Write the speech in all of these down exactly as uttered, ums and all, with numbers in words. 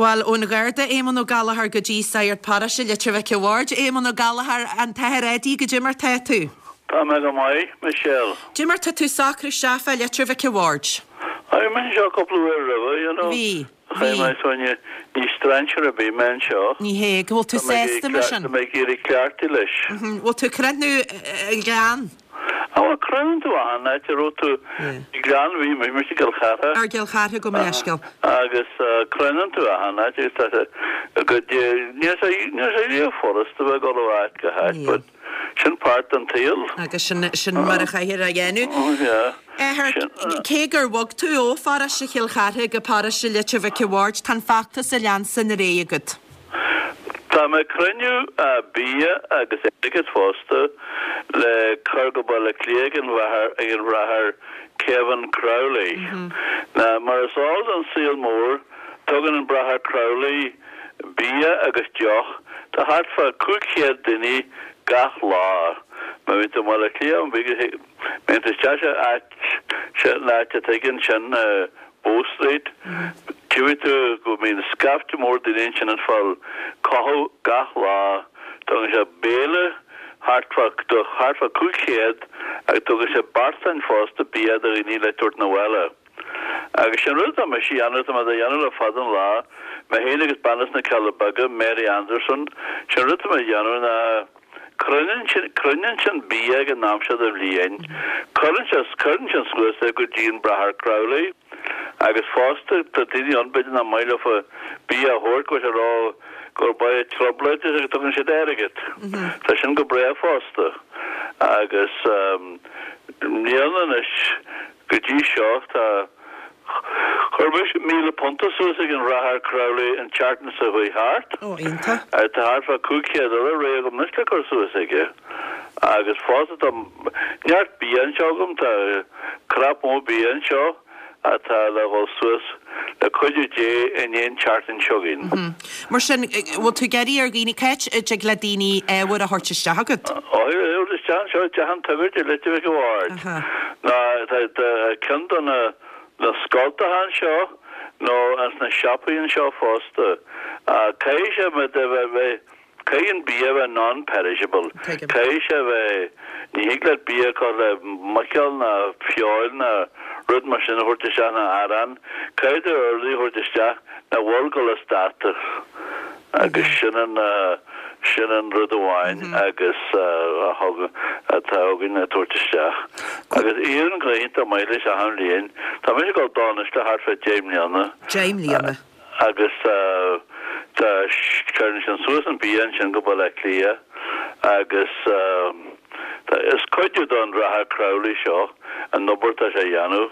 Bhuel, ón Gharda Éamonn Ó Gallchóir go dtí Sagart Paróiste Leitir Mhic an Bhaird, Éamonn Ó Gallchóir, an tAthair Eddie, goidé mar tá tú? Tá mé go maith, Michelle. Goidé mar tá tú socrú isteach fá Leitir Mhic an Bhaird? Bhí mé anseo cúpla uair roimhe, you know. Bhí, Bhí bhí. mé so ní ní strainséir ar bith mé anseo. Ní hé, go bhfuil tú Tá mé ag sásta mar sin? Tá mé ag éirí cleachtaithe leis. Mhm, Bhfuil tú ag cruinniú an ghleann? Á bhuel, croitheann tú achan áit a raibh tú Yeah. Gleann bhí mé mise i gCill Chartha. Ar gCill Chartha gabh mo leithscéal. Agus croitheann tú achan áit agus tá sé go níl sé níl sé riamh furasta bheith ag dul ó áit go háit, Níl. but sin páirt den tsaol. Agus sin sin mar a chaithfear a dhéanamh. Oh yeah. Athair, Sin cé gur bhog tú ó pharóiste Chill Chartha go paróiste Leitir Mhic an Bhaird, tá an feachtas a leanstan ar aghaidh agat. Tá mé ag cruinniú bia agus airgead fosta le cur go Baile Átha Cliath ag an mháthair ag an bhráthair Kevin Crowley. Now mar is eol don saol mór tugann an bráthair Crowley bia agus deoch do thart fá cúig chéad duine gach lá. Má bhíonn tú i mBaile Átha Cliath an bhíonn tú isteach sa áit sin áit a tuigeann sin Bow Street. Tchífidh tú go mbíonn scaifte mór daoine ansin ag fáil cothú gach lá. Tugann sé béile thart fá do thart fá cúig chéad agus tugann sé beartáin fosta bia do dhaoine le tabhairt 'na bhaile. Agus sin rud atá mise a dhéanamh, tá mé á dhéanamh le fada an lá, mé féin agus bean as na Cealla Beaga, Mary Anderson, sin rud atá mé a dhéanamh ná cruinníonn sin cruinníonn sin bia ag an am seo den bhliain, cuireann sé cuireann sin suas é go dtí an Bráthair Crowley agus fosta tá daoine ann b'fhéidir nach maith leofa bia a thabhairt go bhfuil sé ró gur baie trioblóid agus tugann siad airgead. Tá sin go breá fosta agus níl anois go dtí seo tá Chuir mise míle punt suas ag an Bhráthair Crowley an tseachtain seo chuaigh thart. Ó, iontach. Tá thart fá cúig chéad eile réidh agam anois le cur suas aige. Agus fosta tá neart bia anseo agam, tá crap mór bia anseo atá le dhul suas le cuidiú Dé in aon tseachtain seo chugainn. Mar sin, bhfuil tú ag iarraidh ar dhaoine, cá háit a dtig le daoine ábhar a thabhairt isteach agat? Ó, isteach anseo i dTeach an tSagairt i Leitir Mhic an Bhaird. Aha. Ná tá tá ceann de na na scoltacha anseo nó ins na siopaí anseo fosta. Caithfidh sé bheith bheith caithfidh an bia bheith non-perishable. Tuigim. Caithfidh sé bheith ní thig leat bia a chur le muiceoil ná feoil ná rud mar sin a thabhairt isteach ná arán. Caithfidh tú rudaí a thabhairt isteach nach bhfuil ag dul as dáta. Agus sin an sin an rud amháin agus a thug atá againn a tabhairt isteach. Agus éiríonn go hiontach maith leis achan bhliain. Tá mise ag dul dó anois le thart fá deich mbliana. Deich mbliana. Agus tá cuireann sin suas an bia ansin go Baile Átha Cliath agus is cuidiú don Bhráthair Crowley seo an obair atá sé a dhéanamh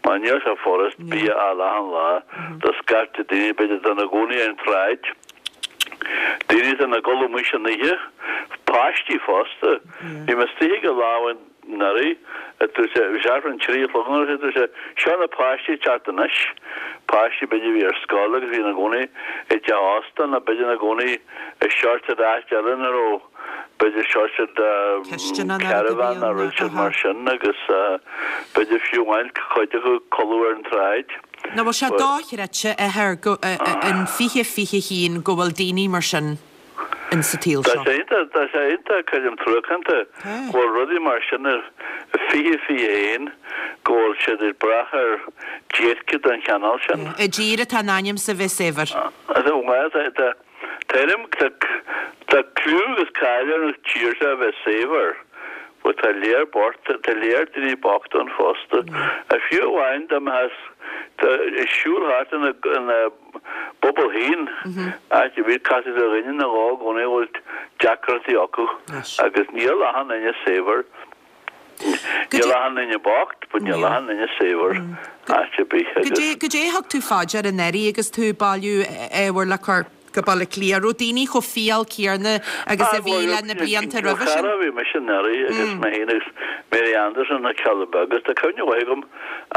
mar níl sé furast bia a fháil achan lá do scaifte daoine b'fhéidir atá ina gcónaí ar an tsráid, daoine atá ina gcodladh amuigh san oíche, páistí fosta. Bhí mé istigh aige lá amháin anuraidh, dúirt sé, bhí sé thart fán trí a chlog nó mar sin, dúirt sé, seo na páistí ag teacht anois, páistí b'fhéidir a bhí ar scoil agus bhí ina gcónaí i dteach ósta nó b'fhéidir ina gcónaí i seort áit eile ina raibh b'fhéidir seort Cisteanna nó rud a bhí caravan ann nó rud nó, mar aha. sin agus b'fhéidir fiú amháin cuid acu codladh ar an tsráid. Nó bhfuil sé But dochreidte a Athair go in fiche fiche haon go bhfuil daoine mar sin in sa tsaol Tá seo. sé iontach tá sé iontach creidim truacánta Tá. go bhfuil rudaí mar sin i fiche fiche haon go bhfuil siad ag brath ar déirce den chineál sin. I dtír atá in ainm is a bheith saibhir. Bhuel tá tá Tuairim tá tá clú agus cáil ar an tír seo a bheith saibhir, but tá léar bocht, tá léar daoine bochta ann fosta. Fiú amháin dá mbeifeá ag siúl thart ina ina bpobal féin, áit ar bith, casfaidh tú ar dhuine nó dhó i gcónaí a bhfuil deacrachtaí acu agus níl achan duine saibhir. Níl achan duine bocht, but níl achan duine saibhir áit ar bith agus. Goidé goidé a thug tú fá dear anuraidh agus tú ag bailiú ábhair le cur go Baile Átha Cliath? Raibh daoine chomh fial céanna agus a bhí le na blianta roimhe sin? Bhí mise anuraidh agus mé féin agus Mary Anderson na Cealla Beaga agus tá cuimhne mhaith agam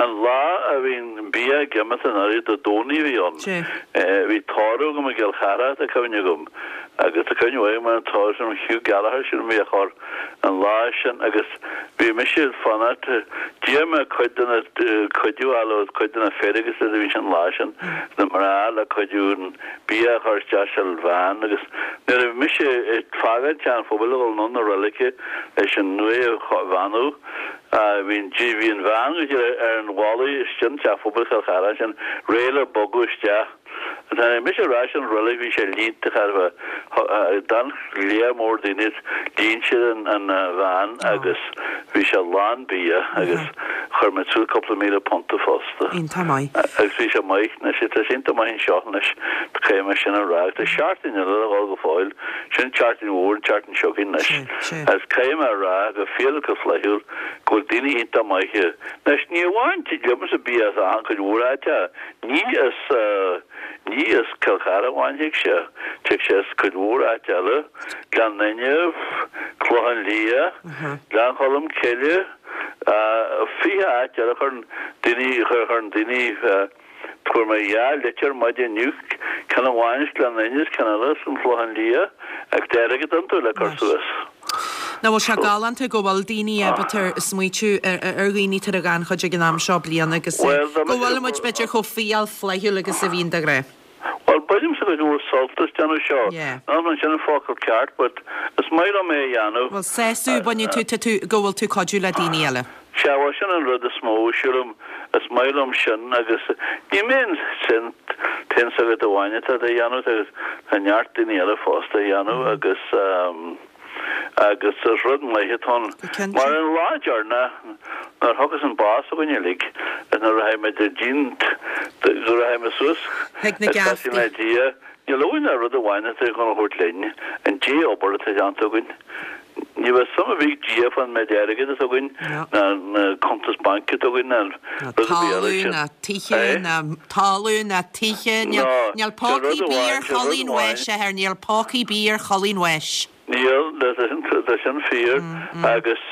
an lá a bhí an bia ag imeacht anuraidh Dé Domhnaigh a bhí ann. Bhí tórramh agam i gCill Chartha tá cuimhne agam agus tá cuimhne mhaith agam ar an tórramh sin Hugh Gallagher sin a bhí á chur an lá sin agus bhí mise ag fanacht d'iarr mé cuid de na cuidiú a fháil ó cuid de na fir agus a bhí sin an lá sin na mná le cuidiú an bia a chur isteach sa veain agus nuair a bhí mise ag fágáil Teach an Phobail a dhul anonn na roilige leis an uaigh a bheannú bhí an bhí an veain go dtí ar an bhaile istigh in Teach Phobail Chill Chartha ansin réidh le bogadh isteach. Nuair a tháinig mise ar ais ón reilig bhí sé líonta cha raibh d'fhan lear mór daoine líon siad an veain agus bhí sé lán bia agus chuir muid suas cúpla míle punta fosta. Iontach maith. Agus bhí sé maith anois tá sé iontach maith anseo anois caithfidh mé sin a rá agus tá seachtain eile le dhul go fóill sin seachtain mhór an tseachtain seo chugainn anois agus caithfidh mé a rá go fial go flaithiúil go bhfuil daoine iontach maith anois ní amháin liomsa bia as achan cuid mhór áite ní as Ní as Cill Chartha amháin thig sé, tig sé as cuid mhór áit eile, Gleann Fhinne, Clochán Liath, Gleann Cholm Cille, fiche áit eile chuireann daoine, chuireann daoine, fuair mé dhá litir maidin inniu, ceann amháin as Gleann Fhinne is ceann eile as an Chlochán Liath, agus airgead iontu le cur suas. Nach bhfuil sé galánta go bhfuil daoine ábalta smaoitiú ar dhaoine atá i ngannchuid ag an am seo bliana agus go bhfuil muid b'fhéidir chomh fial flaithiúil agus a bhíonn de ghnáth. Bhuel, bainimse cuid mhór sult as déanamh seo. Níl an sin an focal ceart but is maith liom é a dhéanamh. Bhuel, sásamh, baineann tú, tá tú, go bhfuil tú cuidiú le daoine eile. Sea, bhuel sin an rud is mó, sílim, is maith liom sin agus ní mé an t-aon sagart amháin atá á dhéanamh, tá neart daoine eile fosta á dhéanamh agus. Agus is rud maith atá ann. Mar an lá deireanach nuair a thiocfas an bás againn uilig is nuair a rachaidh muid ar dtí'n go rachaidh muid suas Chuig na ag seasamh le geaftaí. Dia, níl uainn ach rud amháin atá chun a thabhairt linn, an dea-obair atá déanta againn. Ní bheidh suim ar bith ag Dia fán méid airgid atá againn No. ná na cuntas bainc atá againn ná Ná rud ar bith eile talamh sin. ná tithe Eh? ná talamh ná tithe níl No, níl sé pócaí rud bír amháin, sé rud Cholainn amháin. Bháis, a athair, níl pócaí bír Cholainn Bháis. Níl, tá sin fíor agus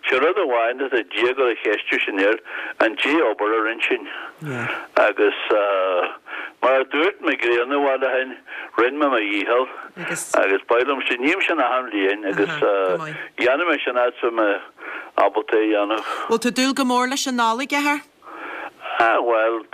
sé rud amháin atá Dia ag dul a cheistiú sinn air, an dea-obair a rinne sinn. Agus mar a dúirt Mac Grianna i bhfad ó shin, rinne mé mo dhícheall agus ba mhaith liom sin, ním sin achan bhliain agus dhéanfaidh mé sin fhad is a bheidh mé ábalta é a dhéanamh. Bhfuil tú ag dúil go mór leis an Nollaig, a athair? Ah, bhuel,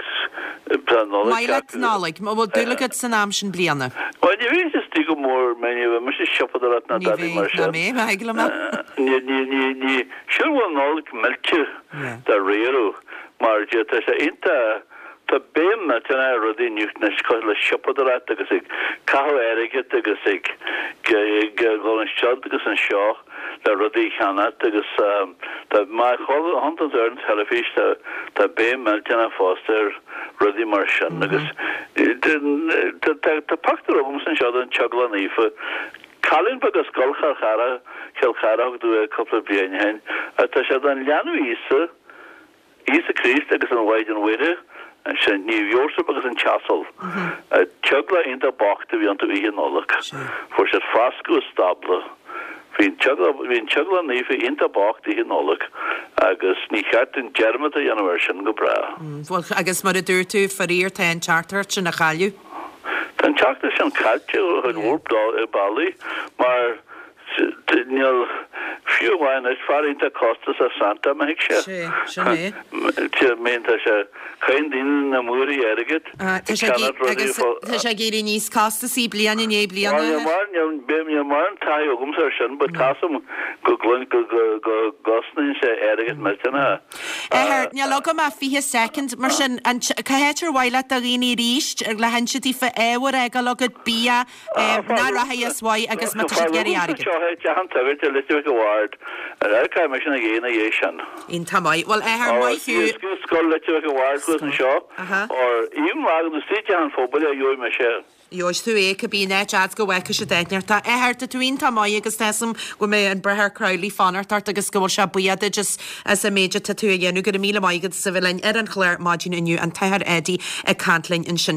tá an Nollaig Maith leat Nollaig, an bhfuil dúil agat san am sin bliana? Bhuel, ní bhíonn istigh go mór mé, ní bheidh mise ag siopadóireacht ná Ní dadaí mar bheidh, ná sin. mé, bheidh liom é. Ní, ní, ní, ní, sílim go bhfuil an Nollaig millte dáiríre, mar de, tá sé iontach, tá béim millteanach ar rudaí inniu anois cosúil le siopadóireacht agus ag caitheamh airgid agus ag, ag, ag dul anseo agus anseo. le rudaí a cheannacht agus tá má chonaiceann tú ar an teilifís tá tá béim millteanach fosta ar rudaí mar sin agus tá tá pictiúr agamsa anseo den Teaghlach Naofa cailín beag as Scoil Chill Chartha Chill Chartha a thug domh é cúpla bliain ó shin agus tá sé den leanbh Íosa Íosa Críost agus an Mhaighdean Mhuire, sin Naomh Iósaf agus an t-asal. Teaghlach iontach bocht a bhí iontu Oíche Nollag. Fuair siad foscadh i stábla. Bhí an teaghlach bhí an teaghlach naofa iontach bocht Oíche Nollag agus ní cheart dúinn dearmad a dhéanamh air sin go bráth. Bhuel, agus mar a dúirt tú, faraor tá an teachtaireacht sin á chailleadh. Tá an teachtaireacht sin caillte ar chuid mhór bealaí mar Níl fiú amháin is fear iontach costasach Santa má thig sé. Sé, sin é. Mín tá sé caitheann daoine na múraí airgid Tá ag sé ag ceannach rudaí agus fá tá sé ag éirí níos costasaí bliain i ndiaidh bliana. Níl mar níl mórán taithí agamsa ar sin but tá a fhios agam go gcluin go go go gcosnaíonn sé airgead millteanach. Athair, níl agam ach fiche soicind, mar sin, an cá háit ar mhaith leat do dhaoine arís le hinse daofa ábhar a fhágáil agat, bia, nach rachaidh as uaidh agus má tá siad ag iarraidh airgead. Seo é Teach an tSagairt i Leitir Mhic a' Bhaird, an fhear caithfidh mise ina dhiaidh ina dhiaidh sin. Iontach maith. Bhuel, athair, maith thú. Scoil Leitir Mhic a' Bhaird thuas anseo, or even lá agus istigh i dTeach an Phobail a gheobhaidh mise. Gheobhaidh tú é, cibé an áit fhad go bhfeicfidh siad áit Tá athair, tá tú iontach maith agus tá 'fhios a'm go mbeidh an Bráthair Crowley fanacht ort agus go bhfuil sé buíoch duit as as an méid atá tú a dhéanamh. Go raibh míle maith agat as a bheith linn ar an chlár maidin inniu, an tAthair Eddie ag caint linn ansin.